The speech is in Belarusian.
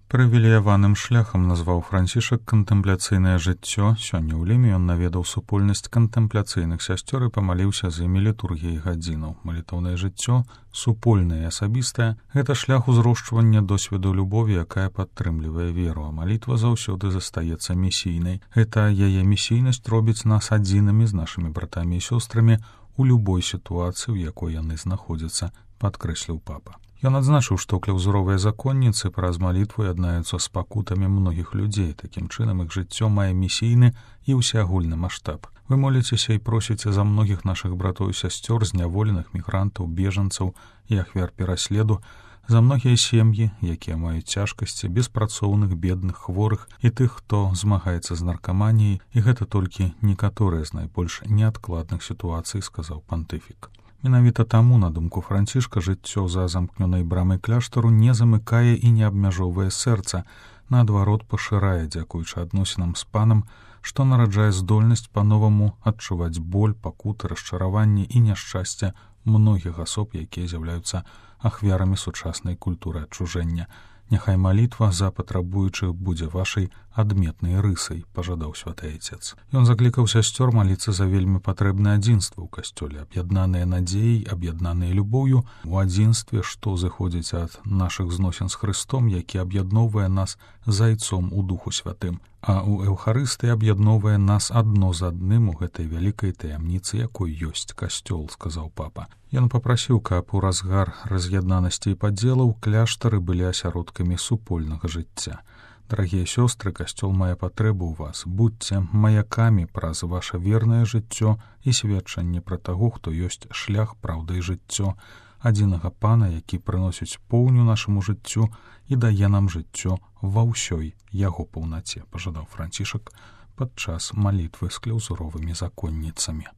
Прывілеяваным шляхам назваў Францішак кантэмпляцыйнае жыццё. Сёння ў Ліме ён наведаў супольнасць кантэмпляцыйных сясцёр і памаліўся з імі літургіі гадзінаў. Малітоўнае жыццё, супольнае і асабістае — гэта шлях узрошчвання досведу любові, якая падтрымлівае веру, а малітва заўсёды застаецца місійнай. Гэта яе місійнасць робіць нас адзінымі з нашымі братамі і сёстрамі у любой сітуацыі, у якой яны знаходзяцца, падкрэсліў папа. Ён адзначыў, што кляўзуровыя законніцы праз малітву яднаюцца з пакутамі многіх людзей. Такім чынам іх жыццё мае місійны і ўсеагульны маштаб. Вы моліцеся і просіце за многіх нашых братоў і сясцёр, зняволеных мігрантаў, бежанцаў і ахвяр пераследу, за многія сем'і, якія маюць цяжкасці, беспрацоўных, бедных, хворых і тых, хто змагаецца з наркаманіяй, і гэта толькі некаторыя з найбольш неадкладных сітуацый, сказаў пантыфік. Менавіта таму, на думку Францішка, жыццё за замкнёнай брамай кляштару не замыкае і не абмяжоўвае сэрца, наадварот пашырае, дзякуючы адносінам з панам, што нараджае здольнасць па-новаму адчуваць боль, пакуты, расчараванні і няшчасце многіх асоб, якія з'яўляюцца ахвярамі сучаснай культуры адчужэння. Няхай малітва за патрабуючых будзе вашай адметнай рысай, пажадаў святы айцец. Ён заклікаў сясцёр маліцца за вельмі патрэбнае адзінства ў касцёле, аб'яднаныя надзеяй, аб'яднаныя любоўю, у адзінстве, што зыходзіць ад нашых зносін з Хрыстом, які аб'ядноўвае нас зайцом у Духу Святым, а ў Эўхарыстыі аб'ядноўвае нас адно з адным у гэтай вялікай таямніцы, якой ёсць касцёл, сказаў папа. Ён папрасіў, каб у разгар раз'яднанасці і падзелаў кляштары былі асяродкамі супольнага жыцця. Дарагія сёстры, касцёл мае патрэбу ў вас. Будьце маякамі праз ваша вернае жыццё і сведчанне пра таго, хто ёсць шлях, праўда і жыццё, адзінага пана, які прыносіць поўню нашаму жыццю і дае нам жыццё ва ўсёй яго паўнаце, пажадаў Францішак падчас малітвы з кляўзуровымі законніцамі.